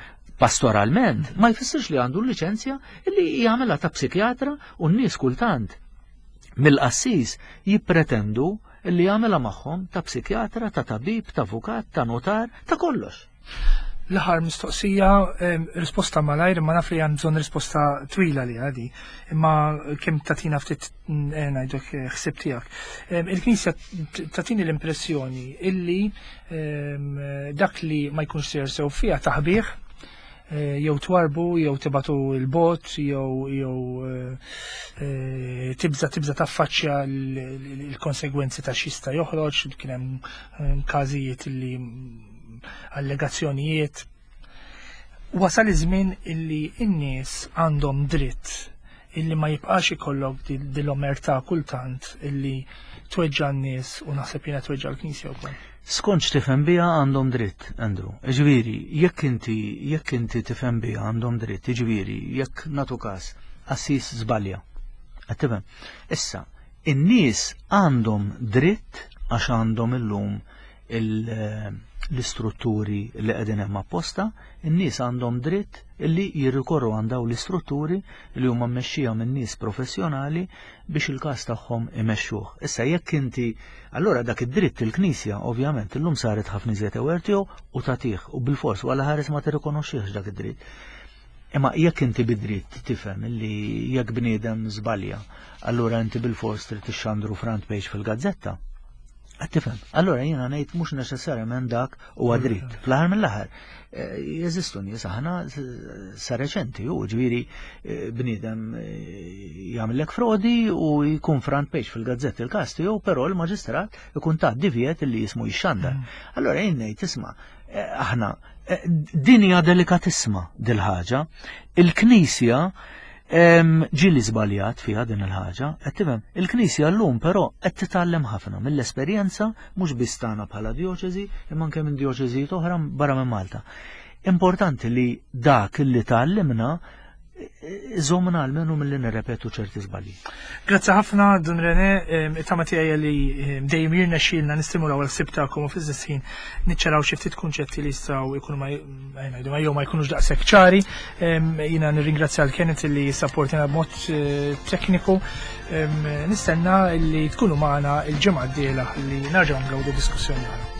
pastoralment ma jfissirx li għandu l-liċenzja li jagħmilha ta' psikjatra, u n-nies kultant mill-qassis jippretendu li jagħmilha magħhom ta' psikjatra, ta' tabib, ta' avukat, ta' notar, ta' kollox. L-aħħar mistoqsija, risposta malajr, ma naf li għand bżonn risposta twila li għadi, imma kemm tatina ftit eh, ngħidlek eh, ħsib tiegħek. Il-Knisja tatini l-impressjoni illi dak li ma jkunx sejjer sew fiha taħbih, eh, jew twarbu, jew tibagħtu 'l bogħod, jew jew tibża tibża taffaċċja l-konsegwenzi ta' x'jista' joħroġ, kien hemm każijiet li allegazzjonijiet. Wasal iż-żmien illi n-nies għandhom dritt illi ma jibqax ikollok dil-omerta kultant illi tweġġa n-nies u naħseb jiena tweġġa l-Knisja wkoll. Skont tifhem biha għandhom dritt, Andrew. Ġifieri, jekk inti jekk inti tifhem biha għandhom dritt, ġifieri, jekk nagħtu każ, qassis żbalja. Qed tifhem? Issa, in-nies għandhom dritt għax għandhom illum l-istrutturi li qegħdin hemm apposta, in-nies għandhom dritt illi jirrikorru għand dawn l-istrutturi li huma mmexxija minn nies professjonali biex il-każ tagħhom imexxuh. Issa jekk inti allura dak id-dritt, il-Knisja ovvjament illum saret ħafna iżjed aware tiegħu u tagħtih u bil-fors wara ħares ma tirrikonoxxihx dak id-dritt. Imma jekk inti bid-dritt tifhem li jekk bniedem żbalja, allura inti bil-fors trid tixxandru front page fil-gazzetta. Qed tifhem? Allura jiena ngħid mhux neċessarjament dak huwa dritt. Fl-aħħar mill-aħħar eh, jeżistu nies, aħna sa reċenti u ġifieri eh, bniedem eh, jagħmellek frodi u jkun front page fil-gazzetti il-każ tiegħu, però l-maġistrat ikun ta' divjet li jismu jixxandar. Mm. Allura jien ngħid, isma', aħna din hija delikatissima dil-ħaġa. Il-Knisja ġieli żbaljat fiha din il-ħaġa, qed tifhem? Il-Knisja llum però qed titgħallem ħafna mill-esperjenza, mhux biss tagħna bħala djoċesi, imma anke minn djoċesijiet oħra barra minn Malta. Importanti li dak li tgħallimna iżommna almenu milli nirrepetu ċerti żbalji. Grazzi ħafna, Dun René, it-tama tiegħi li dejjem jirnexxielna nistimulaw il-ħsieb tagħkom u fl-istess ħin niċċaraw xi ftit kunċetti li jistgħu jkunu ma ngħidu ma jew ma jkunux daqshekk ċari. Jiena nirringrazzja l Kenneth li sapportina b'mod eh, tekniku. Nistenna li tkunu magħna il-ġimgħa d-dieħla li nerġgħu ngawdu diskussjoni oħra.